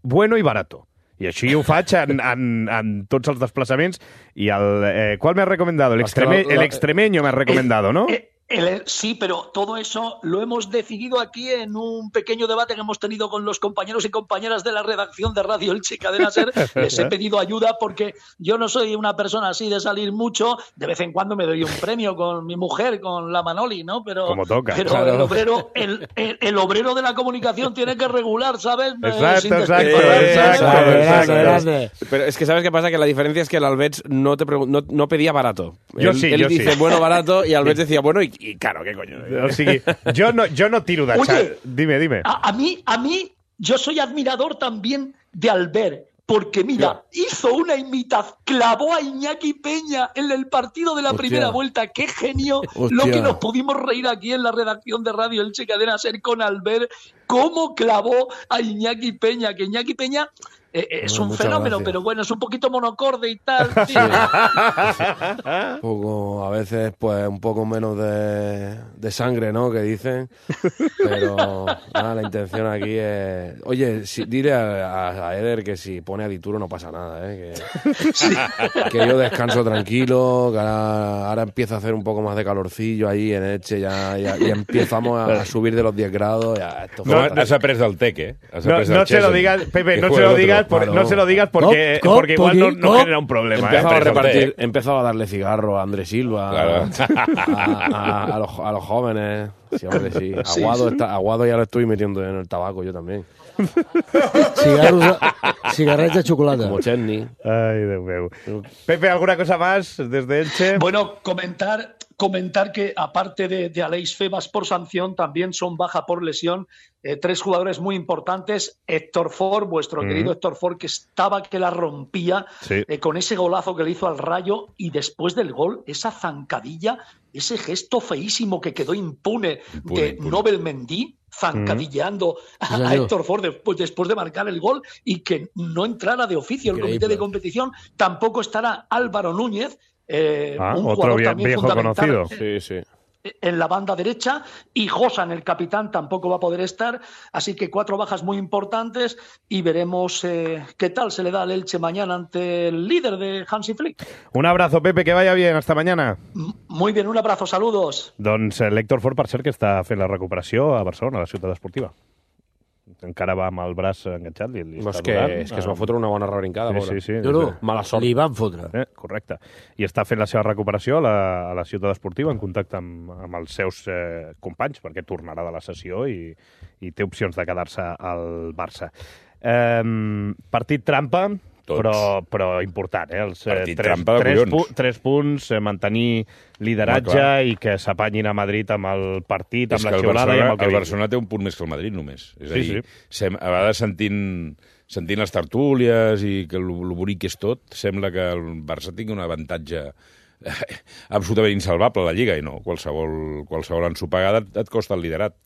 bueno y barato? I així ho faig en, en, en tots els desplaçaments. I el... Eh, ¿cuál me has recomendado? El, extreme, el extremeño me has recomendado, ¿no? El, sí, pero todo eso lo hemos decidido aquí en un pequeño debate que hemos tenido con los compañeros y compañeras de la redacción de Radio Elche Cadena Ser. Les he pedido ayuda porque yo no soy una persona así de salir mucho. De vez en cuando me doy un premio con mi mujer, con la Manoli, ¿no? Pero, como toca. Pero claro. el, obrero, el, el, el obrero de la comunicación tiene que regular, ¿sabes? Exacto, eh, exacto, exacto, exacto, exacto, exacto. Pero es que ¿sabes qué pasa? Que la diferencia es que el Albeig no, te no, no pedía barato. Yo él, sí, él yo dice sí. bueno, barato y Albeig decía bueno y, y caro, ¿qué coño? O sigui, jo no, jo no tiro de xat. Dime, dime. A, a, mí, a mí, yo soy admirador también de Albert, porque mira, yeah. hizo una imitación, clavó a Iñaki Peña en el partido de la Hostia. primera vuelta. ¡Qué genio! Hostia. Lo que nos pudimos reír aquí en la redacción de Radio Elche Cadena Ser con Albert. ¿Cómo clavó a Iñaki Peña? Que Iñaki Peña... Eh, es bueno, un fenómeno, gracias. Pero bueno, es un poquito monocorde y tal. Sí. un poco, a veces, pues, un poco menos de, de sangre, ¿no? Que dicen. Pero nada, la intención aquí es... Oye, si, dile a, a Eder que si pone a Dituro no pasa nada, ¿eh? Que, sí. que yo descanso tranquilo, que ahora, ahora empieza a hacer un poco más de calorcillo ahí en Elche, ya, ya, ya empezamos a, a subir de los diez grados. Ya, esto no, has après del T E C, ¿eh? Has no, no se lo digas, Pepe, no se lo digas por, Claro. no se lo digas porque, Cop, cop, porque igual no, poquín, no cop. genera un problema. Empezaba ¿eh? a repartir, empezaba a darle cigarro a Andrés Silva, Claro. a, a- a los, a los jóvenes. Sí, hombre, sí. Sí, Aguado, sí. Está, Aguado ya lo estoy metiendo en el tabaco, yo también. Cigarros, cigarrets de xocolata. Como Chesney. Ay, Déu meu. Pepe, ¿alguna cosa más desde Elche? Bueno, comentar, comentar que aparte de, de Aleix Febas por sanción, también son baja por lesión eh, tres jugadores muy importantes. Héctor Ford, vuestro Mm. querido Héctor Ford, que estaba que la rompía Sí. eh, con ese golazo que le hizo al Rayo, y después del gol, esa zancadilla, ese gesto feísimo que quedó impune, Impune, de impune. Nobel Mendy, zancadilleando a, Sí, a señor. Héctor Ford después, después de marcar el gol, y que no entrara de oficio el Increíble. comité de competición. Tampoco estará Álvaro Núñez, eh, Ah, un otro jugador vie- también viejo fundamental conocido. Sí, sí. en la banda derecha, y Josan, el capitán, tampoco va a poder estar, así que cuatro bajas muy importantes, y veremos eh, qué tal se le da al Elche mañana ante el líder de Hansi Flick. Un abrazo, Pepe, que vaya bien. Hasta mañana. M- Muy bien, un abrazo, saludos. Doncs eh, l'Héctor Ford, per cert, que està fent la recuperació a Barcelona, a la ciutat esportiva. Encara va amb el braç enganxat. Li, li No, és està que, durant. és que es va fotre una bona rebrincada, Sí, pobre. sí, sí. No, no, Mala sort. li van fotre. Eh, correcte. I està fent la seva recuperació a la, a la ciutat esportiva en contacte amb, amb els seus eh, companys, perquè tornarà de la sessió i, i té opcions de quedar-se al Barça. Eh, partit trampa, Tots. però, però important. Eh? Els, eh, Partit tres, trampa de tres, collons. pu tres punts, eh, mantenir lideratge Home, clar. i que s'apanyin a Madrid amb el partit, És amb que la el xiulada i Barcelona, amb el que el vingui. Barcelona té un punt més que el Madrid, només. És a Sí, dir, sí. sem- a vegades sentint, sentint les tertúlies i que el, el bonic és tot, sembla que el Barça tingui un avantatge absolutament insalvable a la Lliga, i no, qualsevol, qualsevol ensopegada et, et costa el liderat.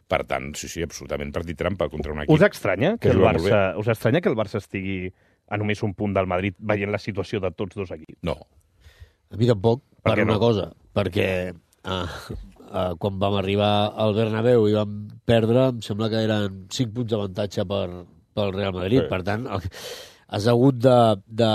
Per tant, sí, sí, absolutament partit trampa contra un equip. Us estranya que, que el juga molt Barça, us estranya que el Barça estigui a només un punt del Madrid veient la situació de tots dos equips? No. A mi tampoc, Per per què una no? cosa, perquè ah, ah, quan vam arribar al Bernabéu i vam perdre, em sembla que eren cinc punts d'avantatge per, pel Real Madrid. Sí. Per tant, el, has hagut de, de,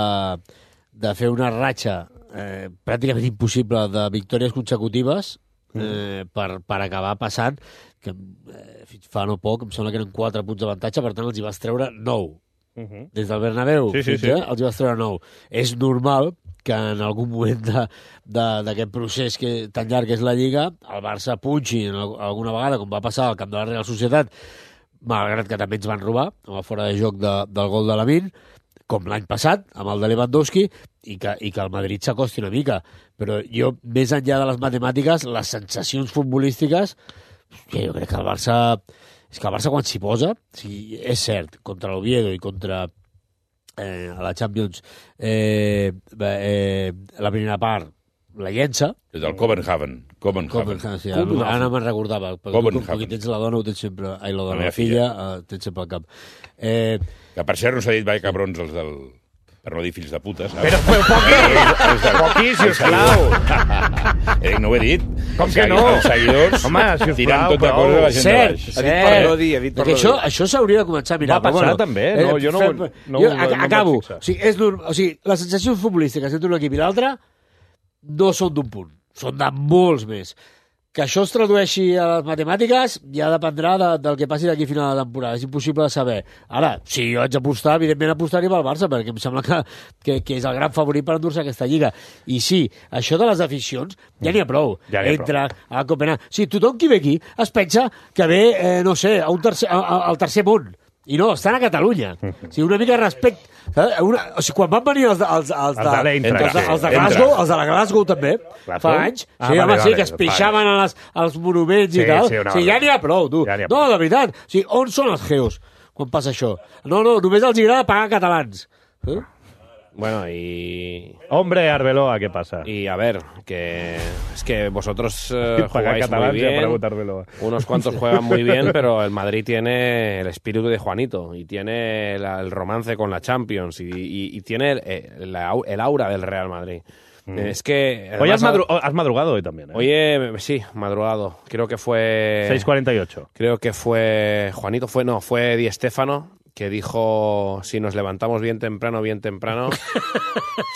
de fer una ratxa eh, pràcticament impossible de victòries consecutives eh, per, per acabar passant, que eh, fins fa no poc, em sembla que eren quatre punts d'avantatge, per tant els hi vas treure nou. Uh -huh. Des del Bernabéu Sí, sí, fins sí. a, els hi vas treure nou. És normal que en algun moment de- de- d'aquest procés que, tan llarg que és la Lliga, el Barça punxi en al- alguna vegada, com va passar al camp de la Real Societat, malgrat que també ens van robar, amb el fora de joc de, del gol de Lamine, com l'any passat, amb el de Lewandowski, i que, i que el Madrid s'acosti una mica. Però jo, més enllà de les matemàtiques, les sensacions futbolístiques, que jo crec que el Barça... És que el Barça quan s'hi posa, sí, és cert, contra l'Oviedo i contra eh, a la Champions eh, eh, la primera part la llença. És del Copenhagen. Copenhagen. Copenhagen, sí, ara, no- ara no me'n recordava, perquè tu, com Copenhagen. que tens la dona, ho tens sempre... Ai, la La dona, meva la filla, eh, tens sempre al cap. Eh, Que per cert no s'ha dit vai cabrons els del... Per no dir fills de puta, saps? Però, però poqui, poqui, sisplau. Eh, no ho he dit. Com Els que no? segui- Els seguidors Home, sisplau, tirant tota prou. cosa a la gent cert, de baix. cert. per no dir, ha dit per Perquè no això, dir. això s'hauria de començar a mirar. Va però passar bueno, també, no? Jo no ho- fem- no jo ho- no em vaig acabo. fixar. O sigui, és norm... o sigui, les sensacions futbolístiques entre un equip i l'altre no són d'un punt, són de molts més. Que això es tradueixi a les matemàtiques ja dependrà de, del que passi d'aquí a final de temporada. És impossible de saber. Ara, si jo haig d'apostar, evidentment apostaria pel Barça, perquè em sembla que, que, que és el gran favorit per endur-se aquesta lliga. I sí, això de les aficions ja n'hi ha prou. Ja n'hi ha Entre a Copenhague. Sí, tothom qui ve aquí es pensa que ve, eh, no sé, a un tercer, a, a, al tercer món. I no, estan a Catalunya. O sigui, una mica de respecte. Saps? Una, o sigui, quan van venir els, de- els, els, Els de l'Eintracht, els, de, els de sí. Glasgow, Eintracht. els de la Glasgow també, Glasgow? fa anys, Ah, sí, vale, home, sí, vale, que es pixaven a les, als monuments Sí, i tal. sí, una o sigui, ja vegada. n'hi ha prou, tu. Ja n'hi ha No, prou. de veritat. O sigui, on són els geos quan passa això? No, no, només els agrada pagar catalans. Eh? Bueno, y... Hombre, Arbeloa, ¿qué pasa? Y a ver, que es que vosotros eh, Pagar jugáis catalán muy ya para bien, votar Arbeloa. unos cuantos juegan muy bien, pero el Madrid tiene el espíritu de Juanito y tiene la- el romance con la Champions y, y- y tiene el, el- la au- el aura del Real Madrid. Mm. Es que... Hoy has, además, madru- has madrugado hoy también, ¿eh? Oye, sí, madrugado. Creo que fue... seis cuarenta y ocho. Creo que fue Juanito, fue no, fue Di Stéfano, que dijo, si nos levantamos bien temprano, bien temprano,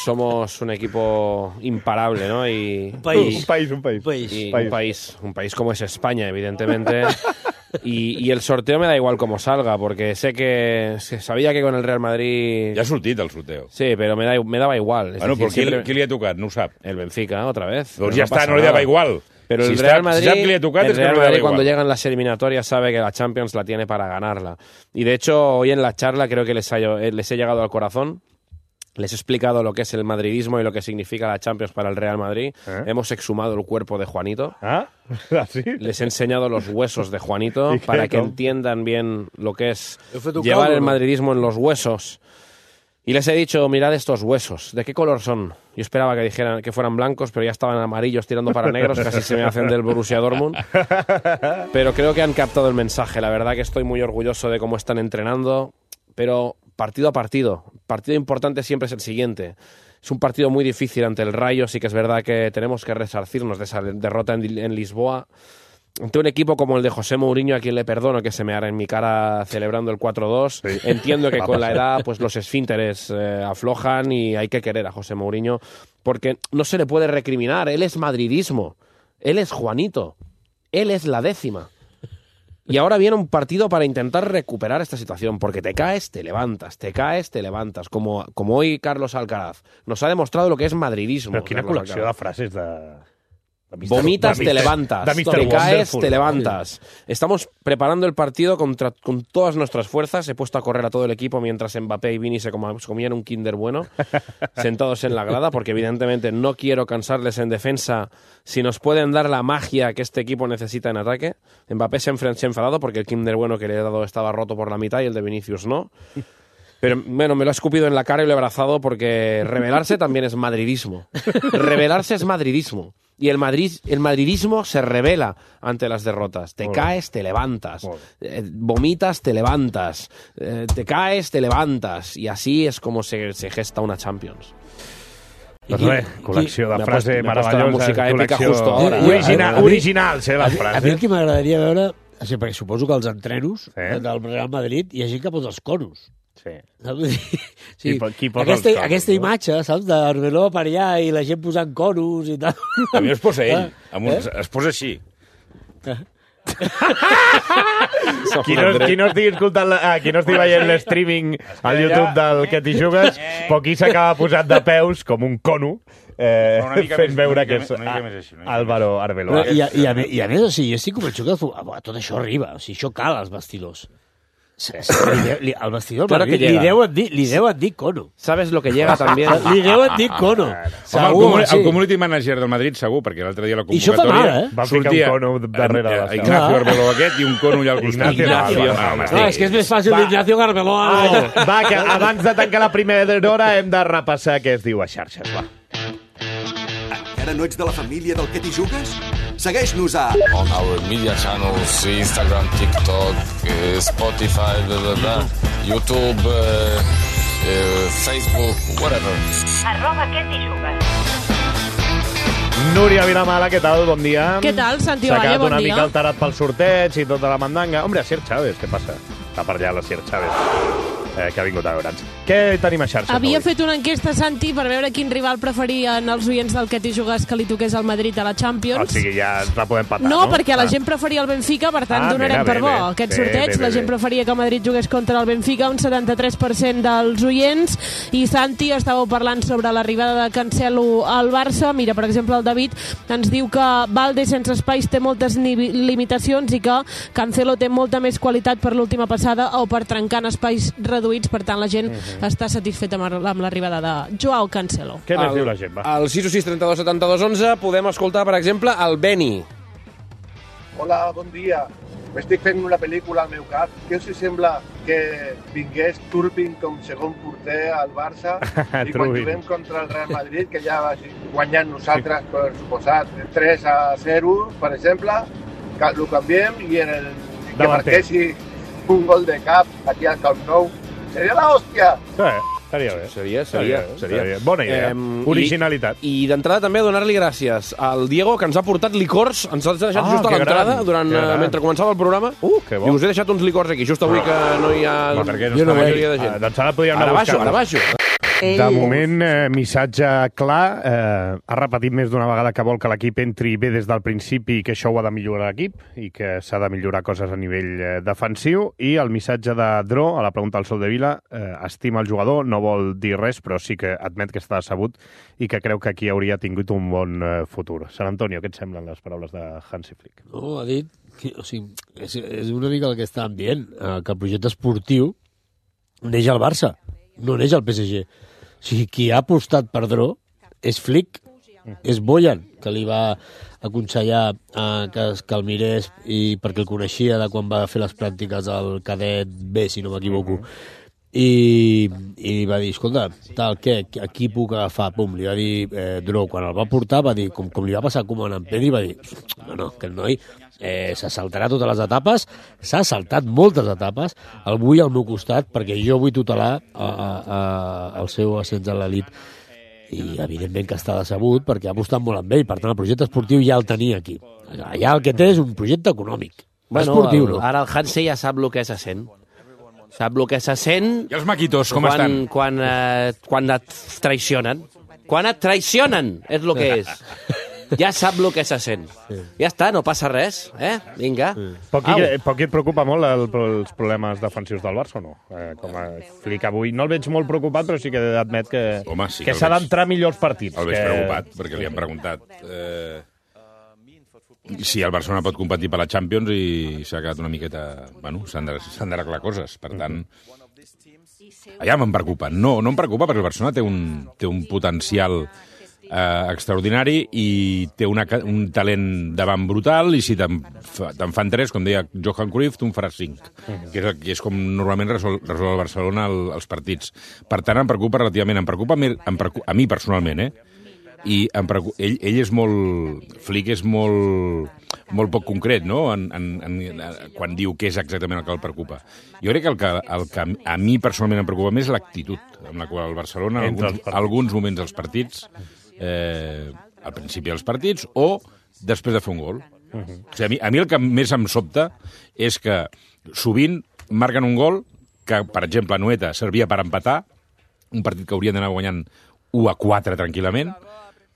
somos un equipo imparable, ¿no? Y, país. y- Un país, un país. País. y País. un país, un país como es España, evidentemente, Y, y el sorteo me da igual cómo salga, porque sé que se sabía que con el Real Madrid... Ja ha sortit el sorteo. Sí, però me, da, me daba igual. Bueno, però qui, siempre... qui li ha tocat? No ho sap. El Benfica, otra vez. Doncs ja està, no li dava igual. Pero si el Real está, Madrid, si sap que li ha tocat, el es que Real no le Madrid da cuando igual. llegan las eliminatorias sabe que la Champions la tiene para ganarla. Y de hecho, hoy en la charla creo que les, ha, les he llegado al corazón. Les he explicado lo que es el madridismo y lo que significa la Champions para el Real Madrid. ¿Eh? Hemos exhumado el cuerpo de Juanito. ¿Ah? ¿Así? Les he enseñado los huesos de Juanito para que entiendan bien lo que es llevar caldo, el ¿no? madridismo en los huesos. Y les he dicho, mirad estos huesos, ¿de qué color son? Yo esperaba que dijeran que fueran blancos, pero ya estaban amarillos tirando para negros, casi se me hacen del Borussia Dortmund. Pero creo que han captado el mensaje. La verdad que estoy muy orgulloso de cómo están entrenando, pero partido a partido. Partido importante siempre es el siguiente. Es un partido muy difícil ante el Rayo, sí que es verdad que tenemos que resarcirnos de esa derrota en, en Lisboa. Ante un equipo como el de José Mourinho, a quien le perdono que se me hará en mi cara celebrando el cuatro dos, sí. Entiendo que con la edad pues los esfínteres eh, aflojan y hay que querer a José Mourinho, porque no se le puede recriminar. Él es madridismo, él es Juanito, él es la décima. Y ahora viene un partido para intentar recuperar esta situación, porque te caes, te levantas, te caes, te levantas, como, como hoy Carlos Alcaraz. Nos ha demostrado lo que es madridismo. Però quina Carlos col·lecció Alcaraz. de frases de... de Vomitas, de te levantas. de Te caes, te levantas. Estamos preparando el partido contra, con todas nuestras fuerzas. He puesto a correr a todo el equipo mientras Mbappé y Vini se com- comían un Kinder Bueno, sentados en la grada, porque evidentemente no quiero cansarles en defensa. Si nos pueden dar la magia que este equipo necesita en ataque. Mbappé se ha enfren- se ha enfadado porque el Kinder Bueno que le he dado estaba roto por la mitad y el de Vinicius no. Pero bueno, me lo ha escupido en la cara y lo he abrazado porque rebelarse también es madridismo. Rebelarse es madridismo. Y el, Madrid, el madridismo se revela ante las derrotas. Te Molt caes, te levantas. Molt Eh, vomitas, te levantas. Eh, te caes, te levantas. Y así es como se, se gesta una Champions. Doncs res, col·lecció de M'ha frase post- m'ha posat meravellosa. la música èpica col·lecció justo ahora. Original, A mi- originals, eh, les A mi, a mi el frases. que m'agradaria veure, o sigui, perquè suposo que els entrenos Sí. eh? del Real Madrid hi ha gent que posa els conos. Sí. Saps? Vull dir, Qui sí, po- qui posa aquesta, els conos, aquesta no? imatge, saps, d'Arbeloa per allà i la gent posant conos i tal. A mi es posa ell, Ah, amb uns, es posa així. Qui no, qui no estigui escoltant, la, ah, qui no estigui veient l'streaming al YouTube del Que t'hi jugues, però aquí s'acaba posat de peus com un cono, eh, Una mica fent més, veure una que mica és més, una mica més així, una mica Álvaro Arbeloa. I, a, i, a, me- I a més, o sigui, jo estic convençut que ah, tot això arriba, o sigui, això cal als vestidors. Sí. Li, de- li, al vestidor Claro Madrid que li llega. deuen dir, li deuen dir cono. ¿Sabes lo que llega también? Li deuen dir cono. Home, el, Segur, comuni sí. el community manager del Madrid, segur, perquè l'altre dia a la I això fa convocatòria... mal, eh? Va ficar un cono darrere de la eh, Ignacio Clar. Arbeloa aquest i un cono allà al costat. Ignacio, Ignacio. no, No, home, No, és que és més fàcil d'Ignacio Arbeloa. Va, va, que abans de tancar la primera hora hem de repassar què es diu a xarxes, va. Encara no ets de la família del Que t'hi jugues? Segueix-nos a on our media channels, Instagram, TikTok, uh, Spotify, blah, blah, blah, YouTube, uh, uh, Facebook, whatever. Arroba Que t'hi jugues. Núria Vilamala, què tal? Bon dia. Què tal, Santi S'ha Valle? quedat Bon una dia. mica alterat pel sorteig i tota la mandanga. Hombre, Asier Chávez, què passa? Està per allà l'Asier Chávez, eh, que ha vingut a veure'ns. Què tenim a xarxes Havia avui? fet una enquesta, Santi, per veure quin rival preferien els oients del Que t'hi jugues que li toqués al Madrid a la Champions. O sigui, ja ens la podem patar, no? No, perquè la Ah. gent preferia el Benfica, per tant, Ah, donarem mira, per bé, bo bé. aquest Bé, sorteig. bé, bé, La gent bé. preferia que Madrid jugués contra el Benfica, un setanta-tres per cent dels oients. I, Santi, estàveu parlant sobre l'arribada de Cancelo al Barça. Mira, per exemple, el David ens diu que Valde sense espais té moltes ni- limitacions i que Cancelo té molta més qualitat per l'última passada o per trencar en espais reduïts. Per tant, la gent està satisfeta amb amb l'arribada de Joao Cancelo. Què més diu la gent, va? Al sis sis trenta dos setanta dos onze podem escoltar, per exemple, el Beni. Hola, bon dia. M'estic fent una pel·lícula al meu cap. Què us sembla que vingués Turpin com segon porter al Barça i quan Turbin. juguem contra el Real Madrid, que ja va guanyant nosaltres, per suposat, tres a zero, per exemple, que ho canviem i en el que Davanter. marquessi un gol de cap aquí al Camp Nou. Seria la hòstia! Sí, estaria bé. Seria, seria, Estaria bé, seria. estaria bé. Bona idea. Originalitat. I, i d'entrada també donar-li gràcies al Diego, que ens ha portat licors, ens ha deixat Ah, just a que l'entrada, gran, durant, que eh, gran. mentre començava el programa. Uh, que bo. I us he deixat uns licors aquí, just avui que no hi ha Va, perquè no la està majoria de bé. gent. Ah, doncs ara podríem Ara anar a baixo, buscar-los. ara baixo. De moment, eh, missatge clar. Eh, ha repetit més d'una vegada que vol que l'equip entri bé des del principi i que això ho ha de millorar l'equip i que s'ha de millorar coses a nivell eh, defensiu. I el missatge de Dro, a la pregunta del Sol de Vila, eh, estima el jugador, no vol dir res, però sí que admet que està decebut i que creu que aquí hauria tingut un bon eh, futur. Sant Antonio, què et semblen les paraules de Hansi Flick? No, ha dit... Que, o sigui, és, és una mica el que estàvem dient, eh, que el projecte esportiu neix al Barça, no neix al P S G. O sigui, qui ha apostat per Dro és Flick, és Bojan, que li va aconsellar eh, que, que el mirés i perquè el coneixia de quan va fer les pràctiques al cadet B, si no m'equivoco. I, i va dir, escolta, tal, què, a qui puc agafar? Pum, li va dir eh, Dro. Quan el va portar, va dir, com, com li va passar com en Pedi, va dir, no, no, que el noi eh, se saltarà totes les etapes, s'ha saltat moltes etapes, el vull al meu costat perquè jo vull tutelar a, a, a, el seu ascens a l'elit. I evidentment que està decebut perquè ha apostat molt amb ell, per tant el projecte esportiu ja el tenia aquí. Allà el que té és un projecte econòmic, bueno, esportiu. El, ara el Hansi ja sap el que se sent. Sap el que se sent... I els maquitos, com quan, estan? Quan, eh, quan et traicionen. Quan et traicionen, és el que és. Ja sap el que se sent. Ja està, no passa res. Eh? Vinga. Poc qui, poc qui et preocupa molt el, els problemes defensius del Barça o no? Eh, com a Flick avui. No el veig molt preocupat, però sí que admet que, Home, sí que, que s'ha veig... d'entrar millor als partits. El veig que... preocupat, perquè li han preguntat... Eh... si el Barcelona pot competir per la Champions i s'ha quedat una miqueta... Bueno, s'han d'arreglar coses, per tant... Allà me'n preocupa. No, no em preocupa perquè el Barcelona té un, té un potencial eh, extraordinari i té una, un talent davant brutal i si te'n te fan tres, com deia Johan Cruyff, tu en faràs cinc, que és, que és com normalment resol, resol el Barcelona el, els partits. Per tant, em preocupa relativament. Em preocupa, em preocupa a mi personalment, eh? I em preocupa, ell, ell és molt... Flick és molt, molt poc concret, no?, en, en, en, quan diu què és exactament el que el preocupa. Jo crec que el que, el que a mi personalment em preocupa més és l'actitud amb la qual el Barcelona, en alguns, alguns moments dels partits, eh, al principi dels partits, o després de fer un gol. Uh -huh. O sigui, a, mi, a mi el que més em sobta és que sovint marquen un gol que, per exemple, a Noeta servia per empatar, un partit que haurien d'anar guanyant u a quatre tranquil·lament,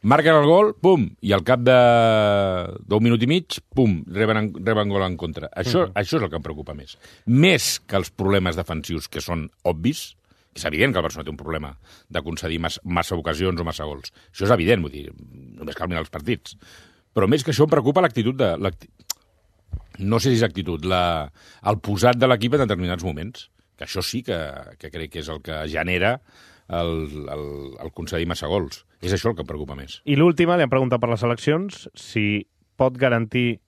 marquen el gol, pum, i al cap d'un minut i mig, pum, reben, reben gol en contra. Això, uh -huh. això és el que em preocupa més. Més que els problemes defensius, que són obvis, és evident que el Barcelona té un problema de concedir massa, massa ocasions o massa gols. Això és evident, vull dir, només cal mirar els partits. Però més que això em preocupa l'actitud de... No sé si és actitud, la, el posat de l'equip en determinats moments, que això sí que, que crec que és el que genera el, el, el concedir massa gols. És això el que em preocupa més. I l'última, li han preguntat per les eleccions, si pot garantir...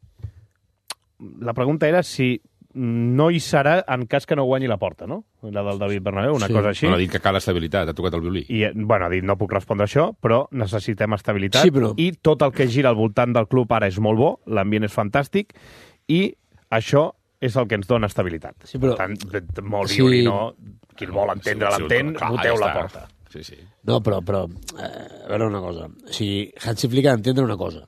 La pregunta era si no hi serà en cas que no guanyi la Porta, no? La del David Bernabéu, una sí. cosa així. No, ha dit que cal estabilitat, ha tocat el violí. I, bueno, ha dit, no puc respondre això, però necessitem estabilitat. Sí, però... I tot el que gira al voltant del club ara és molt bo, l'ambient és fantàstic, i això és el que ens dona estabilitat. Sí, però... Per tant, molt violí, sí. no... Qui el vol entendre, sí, l'entén, sí, voteu ja la Porta. Sí, sí. No, però, però eh, a veure una cosa. O sigui, Hansi Flick ha d'entendre una cosa.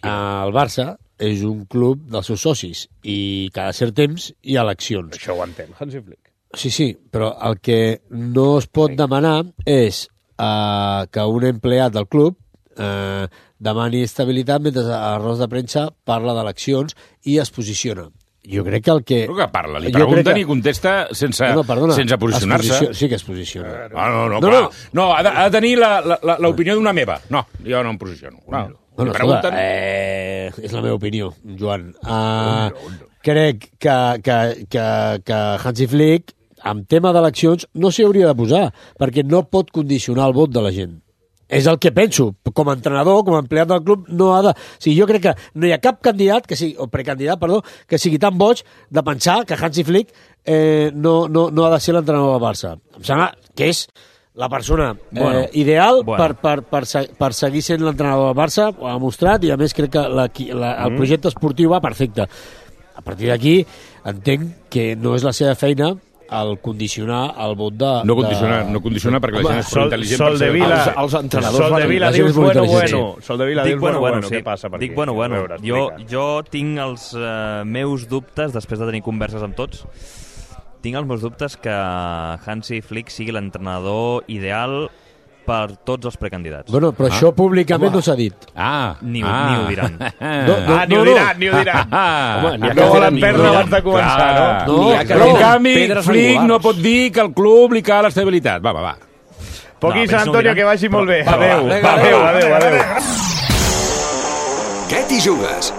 El Barça és un club dels seus socis i cada cert temps hi ha eleccions. Això ho entén, Hansi Flick. Sí, sí, però el que no es pot demanar és eh, que un empleat del club eh, demani estabilitat mentre a Ros de Premsa parla d'eleccions i es posiciona. Jo crec que el que... Però que parla, li pregunten que... i contesta sense, no, no, sense posicionar-se. Posiciona... Sí que es posiciona. No, no, no, no, clar. no. no ha, de, ha de tenir l'opinió d'una meva. No, jo no em posiciono. No. Bueno, pregunten... escolta, eh, és la meva opinió, Joan. Uh, no, no. Crec que, que, que, que Hansi Flick, amb tema d'eleccions, no s'hi hauria de posar, perquè no pot condicionar el vot de la gent. És el que penso. Com a entrenador, com a empleat del club, no ha de... O sigui, jo crec que no hi ha cap candidat, que sigui, o precandidat, perdó, que sigui tan boig de pensar que Hansi Flick eh, no, no, no ha de ser l'entrenador del Barça. Em sembla que és la persona eh, bueno, ideal bueno. Per, per, per, per seguir sent l'entrenador del Barça, ho ha demostrat, i a més crec que la, la, el projecte esportiu va perfecte. A partir d'aquí entenc que no és la seva feina el condicionar el vot de... No condicionar, de... no condicionar perquè la gent és prou intel·ligent. Sol de Vila, els, els entrenadors... Sol de Vila dius bueno, bueno. Sol de Vila dius bueno, bueno. Sí. Què passa per Dic aquí? bueno, bueno. Veure, jo, jo tinc els uh, meus dubtes, després de tenir converses amb tots, tinc els meus dubtes que Hansi Flick sigui l'entrenador ideal per tots els precandidats. Bueno, però ah. això públicament Home. no s'ha dit. Ah, ni, ah. ni ho diran. No, no, ah, ni ho diran, ni ho diran. Home, ni no volen perdre abans de començar, no? no? no però, en canvi, Flick no pot dir que al club li cal estabilitat. Va, va, va. Poquí, Sant Antonio, que vagi molt bé. Adéu, adéu, adéu, adéu. Què t'hi jugues?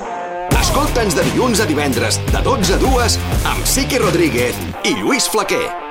Escolta'ns de dilluns a divendres, de dotze a dues, amb Siqui Rodríguez i Lluís Flaquer.